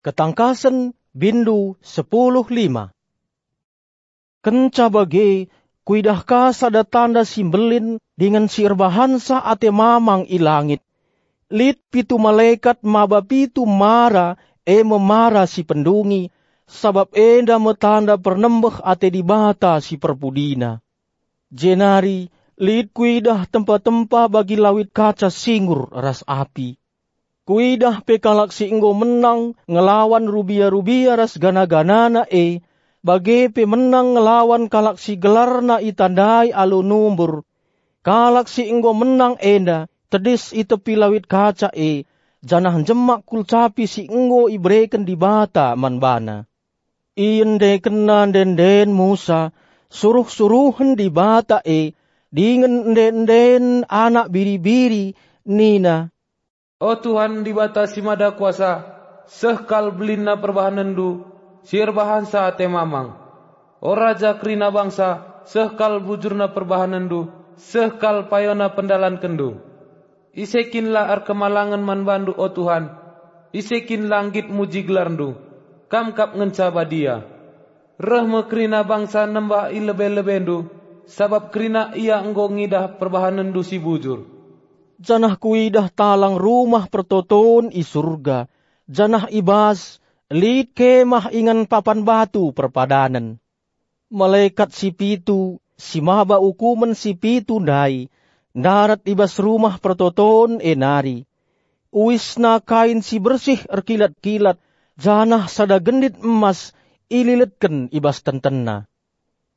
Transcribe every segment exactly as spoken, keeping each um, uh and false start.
Ketangkasen, bindu sepuluh lima. Kenca bage, kuidah ka sada tanda si mbelin dingen si erbahansa ate mamang i langit. Lit pitu malekat maba pitu mara, e me mara si pendungi, sabap enda me tanda pernembeh ate Dibata si perpudina. Jenari lit kuidah tempa-tempa bagi lawit kaca singur ras api. Kuidah pe kalak si enggo menang ngelawan rubia-rubia ras gana-ganana e, bage pe menang ngelawan kalak si gelarna itandai alu numbur. Kalak si enggo menang enda tedis i tepi lawit kaca e, janah njemak kulcapi si enggo ibereken Dibata man bana. Iendekenna ende-enden Musa, suruh-suruhen Dibata e, dingen ende-enden anak biri-biri, nina, "O Tuhan Dibata si Mada Kuasa, seh kal belinna perbahanenndu si erbahansa ate mamang. O Raja kerina bangsa, seh kal bujurna perbahanenndu, seh kal payona pendalankenndu. Ise kin la erkemalangen man bandu, o Tuhan? Ise kin la nggit muji gelarndu? Kam kap ngenca badia. Reh me kerina bangsa nembah i lebe-lebendu, sabap kerina ia enggo ngidah perbahanenndu si bujur." Janah kuidah talang rumah pertoton i Surga, janah i bas lit kemah ingan papan batu perpadanen. Malekat si pitu, si maba ukumen si pitu ndai, ndarat i bas rumah pertoton e nari. Uisna kain si bersih erkilat-kilat, janah sada gendit emas ililetken i bas tentenna.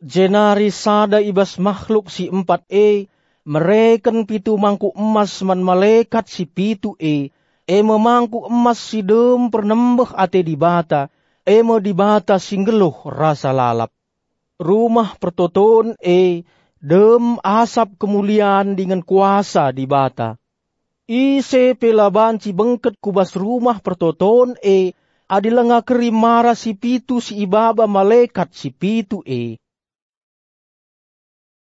Jenari sada i bas makhluk si empat e mereken pitu mangkuk emas man malekat si pitu e, e me mangkuk emas si dem pernembeh ate Dibata, e me Dibata si nggeluh rasa lalap. Rumah pertoton e dem asap kemulian dingen kuasa Dibata. Ise pe la banci bengket ku bas rumah pertoton e, adi langa keri mara si pitu si ibaba malekat si pitu e.